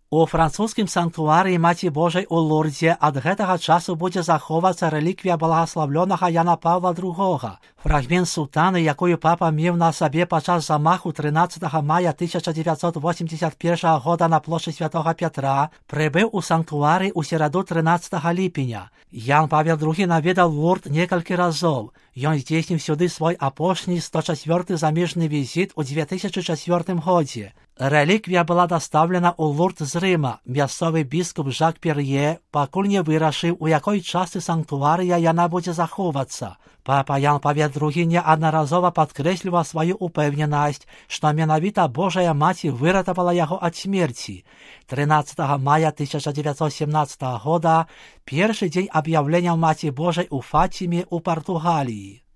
У французскім санктуарыі Маці Божай у Лурдзе ад гэтага часу будзе захоўвацца рэліквія благаславлёнага Яна Паўла II. Фрагмент сутаны, якую папа меў на сабе падчас замаху 13 мая 1981 года на плошчы Святога Пятра, прыбыў у санктуарый у сераду 13 ліпеня. Ян Павел II наведаў Лурд некалькі разоў. Ён здзейсніў сюды свой апошні 104 замежны візіт у 2004 годзе. Рэліквія была дастаўлена ў Лурд з Рыма. Мясцовы біскуп Жак Пер'е пакуль не вырашыў, у якой частцы санктуарыя яна будзе захоўвацца. Папа Ян Павел II неаднаразова падкрэсліваў сваю упэўненасць, што менавіта Божая Маці выратавала яго ад смерці. 13 мая 1917 года першы дзень аб'яўлення Маці Божай у Фаціме ў Партугаліі.